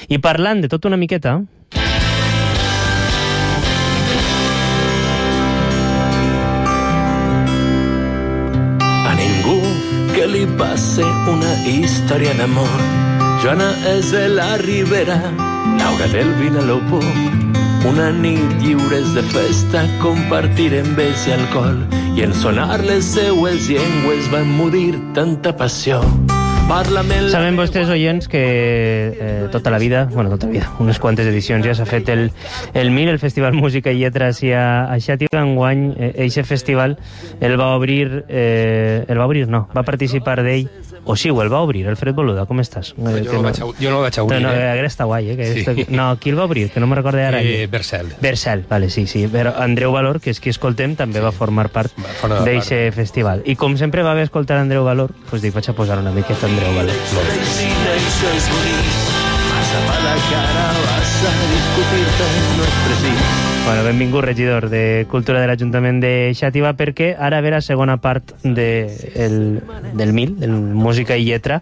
I parlant de tot una miqueta... A ningú que li passe una història d'amor. Joana és de la Ribera, Laura del Vinalopó. Una nit lliures de festa compartirem bes i alcohol, i en sonar les seues llengües va emmudir tanta passió. Saben vostès, oients, que tota la vida, unes quantes edicions ja s'ha fet el MIL, el Festival Música i Lletra a Xàtiva. Enguany, eixe festival va participar d'ell, o sí, el va obrir, Alfred Boluda, com estàs? Jo no el vaig obrir. Ara està guai, No, qui el va obrir? Que no me'n recordo ara. Bersel, vale, sí. Però Andreu Valor, que és qui escoltem, també va formar part d'eixe festival. I com sempre va haver escoltar Andreu Valor, doncs dic, vaig a posar una miqueta Andreu Valor. Bueno, benvingut, regidor de Cultura de l'Ajuntament de Xàtiva, perquè ara ve la segona part del MIL, del Música i Lletra.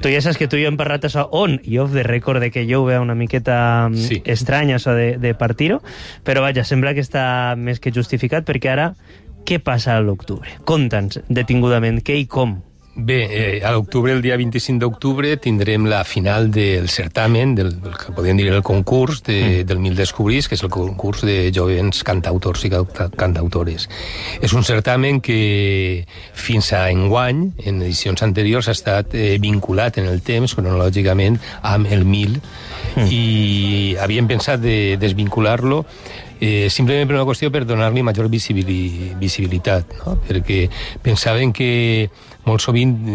Tu ja saps que tu i jo hem parlat això on i off the record, de que jo ho veia una miqueta estrany, això de partir-ho, però vaja, sembla que està més que justificat, perquè ara què passa a l'octubre? Conta'ns detingudament què i com. Bé, a l'octubre, el dia 25 d'octubre, tindrem la final del certamen, del que podríem dir el concurs del MIL Descobrís, que és el concurs de jovens cantautors i cantautores. És un certamen que fins a enguany, en edicions anteriors, ha estat vinculat en el temps, cronològicament, amb el MIL, i havíem pensat de desvincular-lo simplement per una qüestió per donar-li major visibilitat, no? Perquè pensaven que molt sovint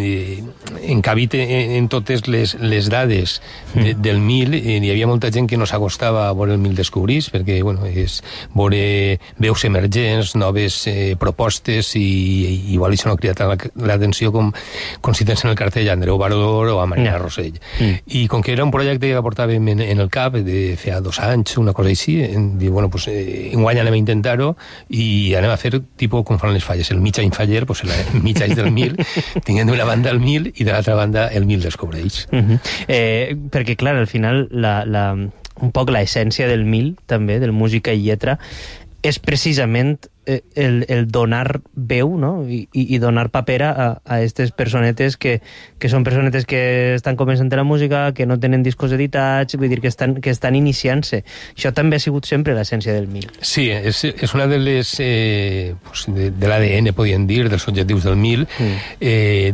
encabit en totes les dades del MIL, hi havia molta gent que no s'acostava a veure el MIL Descobrís, perquè és veure veus emergents, noves propostes, i igual això no ha cridat l'atenció com si tens en el cartell Andreu Valor o a Marina Rosell. I com que era un projecte que portàvem en el cap de feia 2 anys, una cosa així, diu, bueno, pues enguany anem a intentar-ho i anem a fer tipus com fan les falles, el mig any faller, pues el mig any del MIL, tinguent d'una banda el MIL i de l'altra banda el MIL Descobreix. Perquè, clar, al final un poc l'essència del MIL, també, del Música i Lletra, és precisament el donar veu, no? I donar paper a aquestes personetes que són personetes que estan començant la música, que no tenen discos editats, vull dir que estan iniciant-se. Això també ha sigut sempre l'essència del MIL. Sí, és una de les de l'ADN, podríem dir, dels objectius del MIL,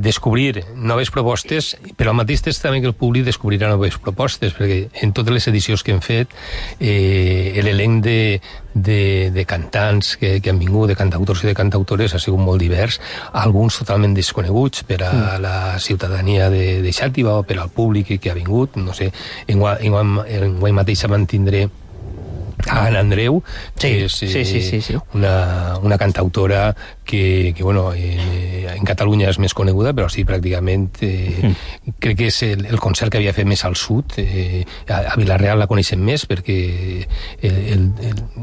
descobrir noves propostes, però al mateix temps també que el públic descobrirà noves propostes, perquè en totes les edicions que hem fet l'elenc de cantants que han vingut, de cantautors i de cantautores, ha sigut molt divers, alguns totalment desconeguts per a la ciutadania de Xàtiva o per al públic que ha vingut, no sé, enguany mateix mantindré a Anna Andreu, que és una cantautora que bueno, en Catalunya és més coneguda, però sí, pràcticament crec que és el concert que havia fet més al sud. A Vila-real la coneixem més perquè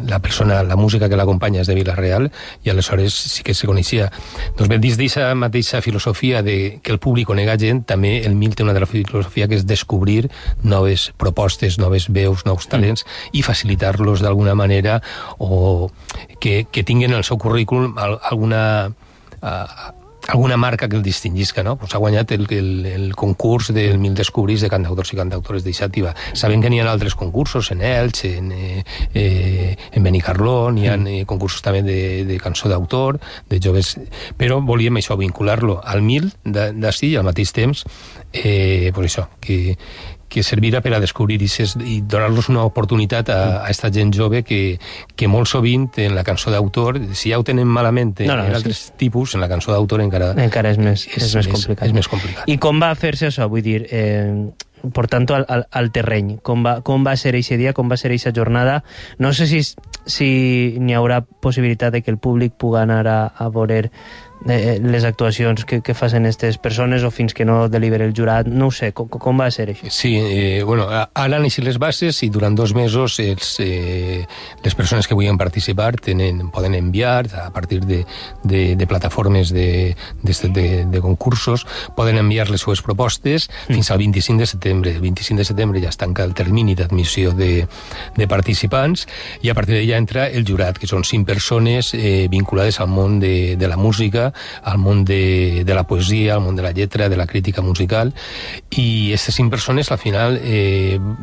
la música que l'acompanya és de Vila-real, i aleshores sí que se coneixia. Doncs bé, dins d'aquesta mateixa filosofia de que el públic conega gent, també el MIL té una altra filosofia que és descobrir noves propostes, noves veus, nous talents, i facilitar-los d'alguna manera, o que tinguin el seu currículum alguna marca que el distingisca, no? Pues ha guanyat el concurs del MIL Descobrís de cantautors i cantautores de Xàtiva. Sabem que n'hi ha altres concursos, en Elx, en Benicarló, n'hi ha concursos també de cançó d'autor, de joves, però volíem això, vincular-lo al MIL d'ací, i al mateix temps pues això, que servirà per a descobrir i donar-los una oportunitat a aquesta gent jove que molt sovint en la cançó d'autor, si ja ho tenen malament en altres tipus, en la cançó d'autor encara és més complicat. És més complicat. I com va fer-se això? Vull dir, portant-ho al terreny, com va ser eixe dia, com va ser eixa jornada? No sé si n'hi haurà possibilitat de que el públic pugui anar a veure les actuacions que facin aquestes persones o fins que no delibera el jurat? No ho sé, com va ser això? Sí, bueno, ara han eixit les bases i durant 2 mesos les persones que vulguin participar poden enviar a partir de plataformes de concursos, poden enviar les seues propostes fins al 25 de setembre. El 25 de setembre ja es tanca el termini d'admissió de participants i a partir d'allà entra el jurat, que són 5 persones vinculades al món de la música, al món de la poesia, al món de la lletra, de la crítica musical, i aquestes 5 persones al final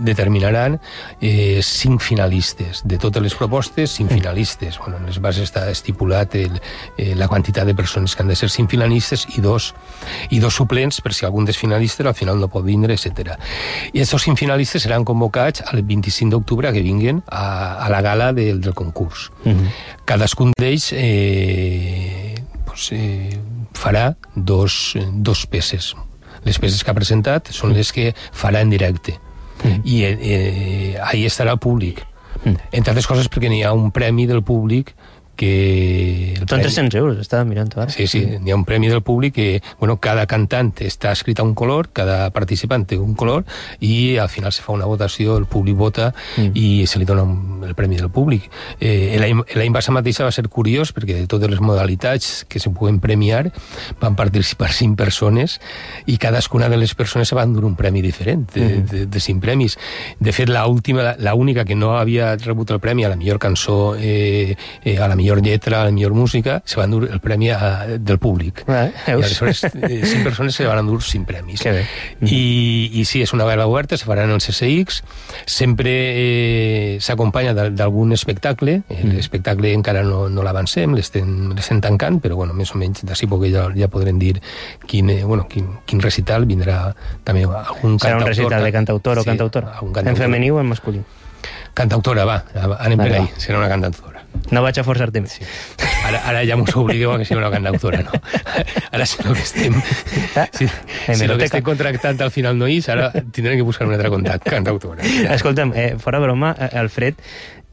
determinaran 5 finalistes. De totes les propostes, 5 finalistes. Bueno, en les bases està estipulat la quantitat de persones que han de ser 5 finalistes i dos suplents per si algun dels finalistes al final no pot vindre, etc. I aquests 5 finalistes seran convocats el 25 d'octubre que vinguen a la gala del concurs. Cadascun d'ells farà dos peces. Les peces que ha presentat són les que farà en directe. I ahí estarà el públic. Entre altres coses perquè n'hi ha un premi del públic que... Són 300 euros, estava mirant ara. Sí, n'hi ha un premi del públic que, bueno, cada cantant està escrit a un color, cada participant té un color, i al final se fa una votació, el públic vota i se li dona el premi del públic. L'any passat mateixa va ser curiós perquè de totes les modalitats que se puguen premiar van participar 5 persones i cadascuna de les persones se van dur un premi diferent, de 5 premis. De fet, l'única que no havia rebut el premi a la millor cançó, a la millor lletra, a la millor música, se van dur el premi del públic. I aleshores 5 persones se van endur 5 premis. I sí, és una gala oberta, se farà en el CCX, sempre s'acompanya d'algun espectacle. L'espectacle encara no l'avancem, l'estem tancant, però bueno, més o menys d'ací poc ja podrem dir quin recital vindrà també algun cantautor. Serà un recital de cantautor o cantautora? En femení o en masculí? Cantautora, va, anem per ahí, serà una cantautora. No vaig a forçar-te més. Sí. Ara ja mos obligueu a que sigui una cantautora, no? Ara si el que estem... Si el que estem contractant al final no és, ara tindrem que buscar una altra cantautora. Escolta'm, fora broma, Alfred,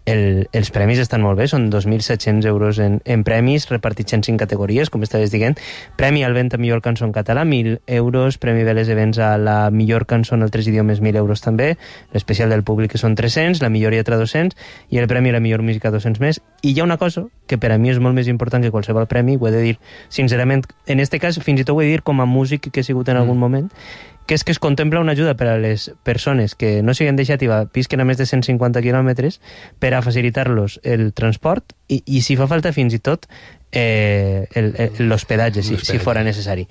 els premis estan molt bé, són 2.700 euros en premis, repartits en 5 categories, com estaves dient. Premi al vent a millor cançó en català, 1.000 euros. Premi Veles Events a la millor cançó en 3 idiomes, 1.000 euros també. L'especial del públic, que són 300, la millor lletra 200, i el premi a la millor música 200 més. I hi ha una cosa que per a mi és molt més important que qualsevol premi, ho he de dir sincerament, en este cas fins i tot ho he de dir com a músic que he sigut en algun moment, que és que es contempla una ajuda per a les persones que no siguen de Xàtiva, visquen a més de 150 quilòmetres, per a facilitar-los el transport i si fa falta fins i tot l'hospedatge, si fora necessari.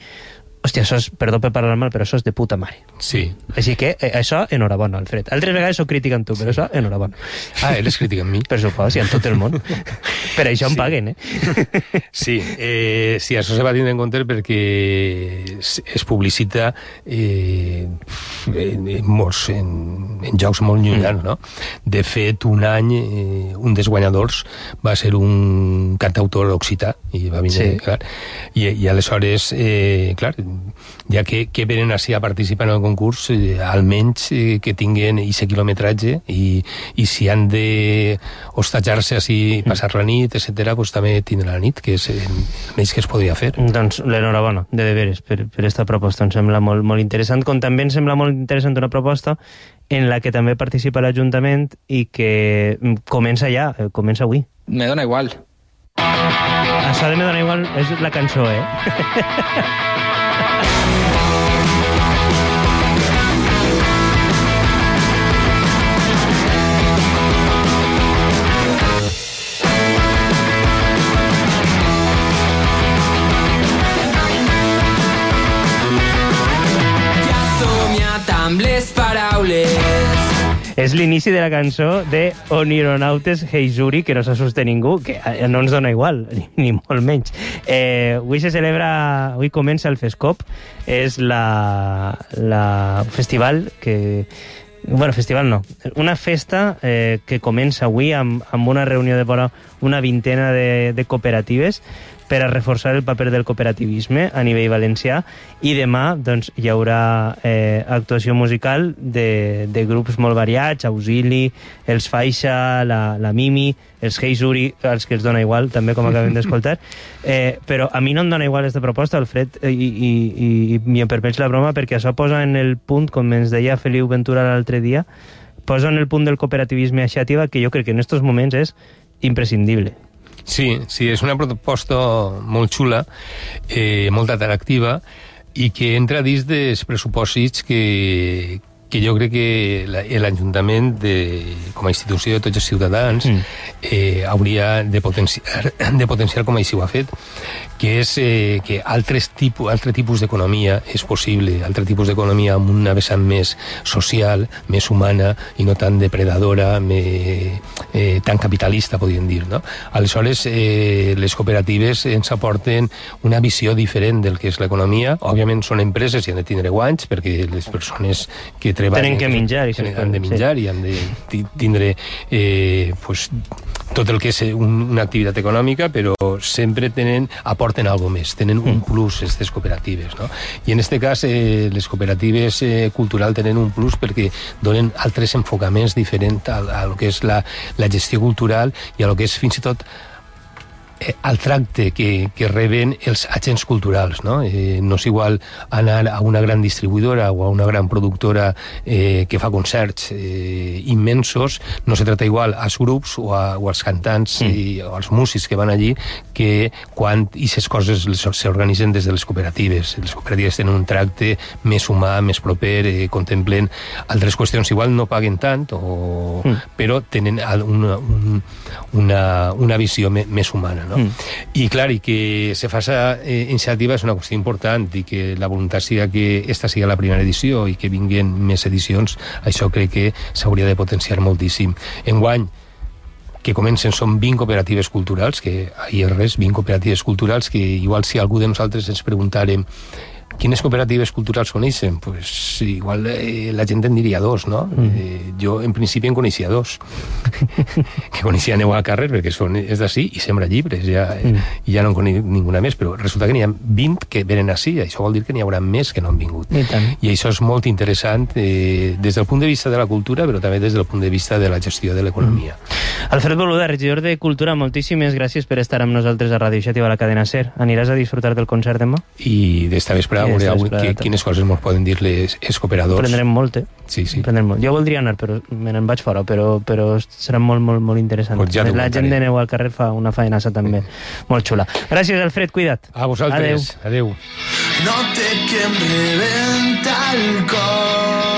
Hòstia, això és, perdó per parlar mal, però això és de puta mare. Sí. Així que això, enhorabona, Alfred. Altres vegades soc crític amb tu, però això, enhorabona. Ah, eres crític amb mi? Per supost, i en tot el món. Per això em paguen, Sí, això se va tindre en compte perquè es publicita en jocs molt llunyans, no? De fet, un any, un dels guanyadors va ser un cantautor occità, i va vindre, clar, i aleshores, clar, ja que venen així a participar en el concurs, almenys que tinguen aquest quilometratge i si han de hostatjar-se així, passar la nit, etc., doncs també tindran la nit, que és el menys que es podria fer. Doncs l'enhorabona, de deberes, per aquesta proposta. Em sembla molt, molt interessant, com també em sembla molt interessant una proposta en la que també participa l'Ajuntament i que comença ja, comença avui. Me dona igual. Això de Me dona igual és la cançó, amb les paraules. És l'inici de la cançó de Onironautes Heizuri, que no s'assusta ningú, que no ens dona igual, ni molt menys. Avui comença el FESCOP, és la festival que... Bueno, festival no. Una festa que comença avui amb una reunió de vora una vintena de cooperatives per a reforçar el paper del cooperativisme a nivell valencià, i demà doncs, hi haurà actuació musical de grups molt variats, Auxili, els Faixa, la Mimi, els Heisuri, els que els dona igual, també, com acabem d'escoltar. Però a mi no em dona igual aquesta proposta, Alfred, i m'hi permets la broma, perquè això posa en el punt, com ens deia Feliu Ventura l'altre dia, posa en el punt del cooperativisme a Xàtiva, que jo crec que en aquests moments és imprescindible. Sí, és una proposta molt xula, molt atractiva, i que entra dins dels pressupòsits que jo crec que l'Ajuntament, com a institució de tots els ciutadans, hauria de potenciar com així ho ha fet, que és que altre tipus d'economia és possible, altre tipus d'economia amb una vessant més social, més humana, i no tan depredadora, tan capitalista, podríem dir, no? Aleshores, les cooperatives ens aporten una visió diferent del que és l'economia. Òbviament són empreses i han de tindre guanys, perquè les persones que treballen... Tenen que menjar. Han de menjar i han de tindre tot el que és una activitat econòmica, però sempre aporten algo més, tenen un plus, aquestes cooperatives, no? I en aquest cas, les cooperatives culturals tenen un plus perquè donen altres enfocaments diferents a lo que és la gestió cultural i a lo que és fins i tot al tracte que reben els agents culturals, no? No és igual anar a una gran distribuïdora o a una gran productora que fa concerts immensos, no se trata igual als grups o als cantants o als músics que van allí, que quan aquestes coses s'organitzen des de les cooperatives. Les cooperatives tenen un tracte més humà, més proper, contemplen altres qüestions, igual no paguen tant, però tenen una visió més humana, no? I clar, i que se faça iniciativa és una qüestió important, i que la voluntat siga que esta siga la primera edició i que vinguin més edicions, això crec que s'hauria de potenciar moltíssim. Enguany, que comencen, són 20 cooperatives culturals, que ahir res, 20 cooperatives culturals, que igual si algú de nosaltres ens preguntàrem quines cooperatives culturals coneixen, pues igual la gent en diria dos, no? Jo en principi en coneixia dos, que coneixia Neu al carrer, perquè és d'ací i sembra llibres, i ja no en conec ninguna més, però resulta que n'hi ha 20 que venen ací, això vol dir que n'hi haurà més que no han vingut. I això és molt interessant des del punt de vista de la cultura, però també des del punt de vista de la gestió de l'economia. Alfred Boluda, regidor de Cultura, moltíssimes gràcies per estar amb nosaltres a Ràdio Xàtiva, a la cadena SER. Aniràs a disfrutar del concert demà? I d'esta vespre quines coses ens poden dir els cooperadors. Prendrem molt, Sí. Prendrem molt. Jo voldria anar, però me n'en vaig fora, però serà molt, molt, molt interessant. Pues ja la gent de Neu al carrer fa una faenassa també molt xula. Gràcies, Alfred, cuida't. A vosaltres. Adeu. No té que em rebenta el cor.